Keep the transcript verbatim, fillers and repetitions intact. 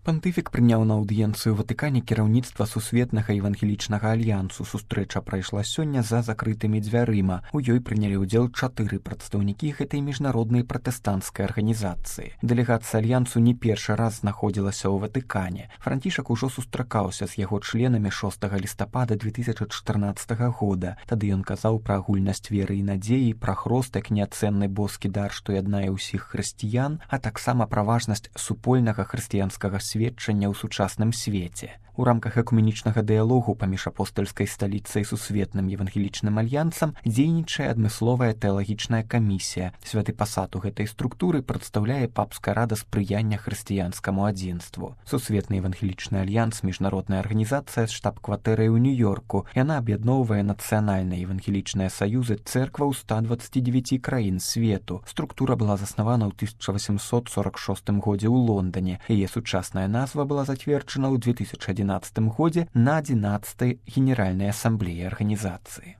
Пантыфік прыняў на аўдыенцыю Ватыкане кіраўніцтва сусветнага евангелічнага альянсу. Сустрэча прайшла сёння за закрытымі дзвярыма. У ёй прынялі ўдзел чатыры прадстаўнікі гэтай міжнароднай пратэстанцкай арганізацыі. Дэлегацыя альянсу не першы раз знаходзілася ў Ватыкане. Францішак ужо сустракаўся з яго членамі шостага лістапада две тысячы чатырнаццатага года. Тады ён казаў пра агульнасць веры і надзеі, пра хрост як неацэнны боскі дар, што яднае ўсіх хрысціян, а таксама пра важнасць супольнага хрысціянскага сведчання ў сучасным свеце. У рамках экуменічнага дыялогу паміж апостальскай сталіцай і сусветным евангелічным альянсам дзейнічае адмысловая тэалагічная камісія. Святы пасад у гэтай структуры прадстаўляе папская рада спрыяння хрысціянскаму адзінству. Сусветны евангелічны альянс — міжнародная арганізацыя з штаб-кватэрай у Нью-Йорку. Яна аб'ядноўвае нацыянальныя евангелічныя саюзы цэркваў ста дваццаці дзевяці краін свету. Структура была заснавана ў тысяча васемсот сорак шостым годзе ў Лондане. Яе сучасная назва была зацверджана ў две тысячы адзінаццатым годзе на адзінаццатай генеральнай асамблеі арганізацыі.